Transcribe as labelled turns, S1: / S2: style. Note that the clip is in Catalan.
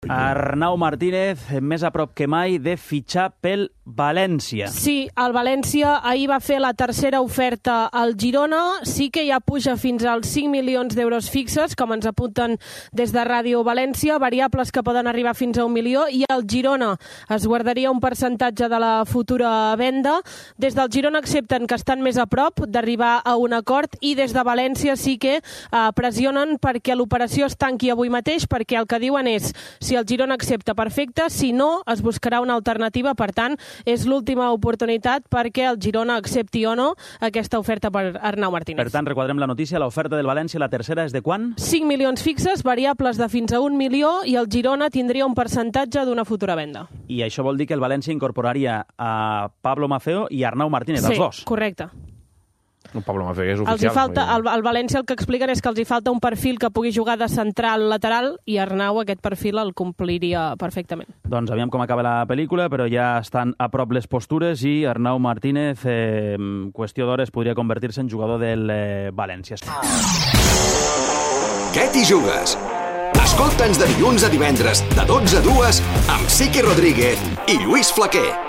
S1: Arnau Martínez, més a prop que mai de fitxar pel València.
S2: Sí, el València ahir va fer la tercera oferta al Girona, sí que ja puja fins als 5 milions d'euros fixes, com ens apunten des de Ràdio València, variables que poden arribar fins a 1 milió, i el Girona es guardaria un percentatge de la futura venda. Des del Girona accepten que estan més a prop d'arribar a un acord, i des de València sí que pressionen perquè l'operació es tanqui avui mateix, perquè el que diuen és, si el Girona accepta, perfecte, si no, es buscarà una alternativa. Per tant, és l'última oportunitat perquè el Girona accepti o no aquesta oferta per Arnau Martínez.
S1: Per tant, requadrem la notícia, l'oferta del València, la tercera, és de quan?
S2: 5 milions fixes, variables de fins a 1 milió, i el Girona tindria un percentatge d'una futura venda.
S1: I això vol dir que el València incorporaria a Pablo Maceo i Arnau Martínez, els dos.
S2: Sí, correcte.
S3: Pablo Maceo és oficial.
S2: Al València el que expliquen és que els hi falta un perfil que pugui jugar de central lateral, i Arnau aquest perfil el compliria perfectament.
S1: Doncs aviam com acaba la pel·lícula, però ja estan a prop les postures i Arnau Martínez, qüestió d'hores, podria convertir-se en jugador del València.
S4: Què t'hi jugues? Escolta'ns de dilluns a divendres, de 12 a 2, amb Siqui Rodríguez i Lluís Flaquer.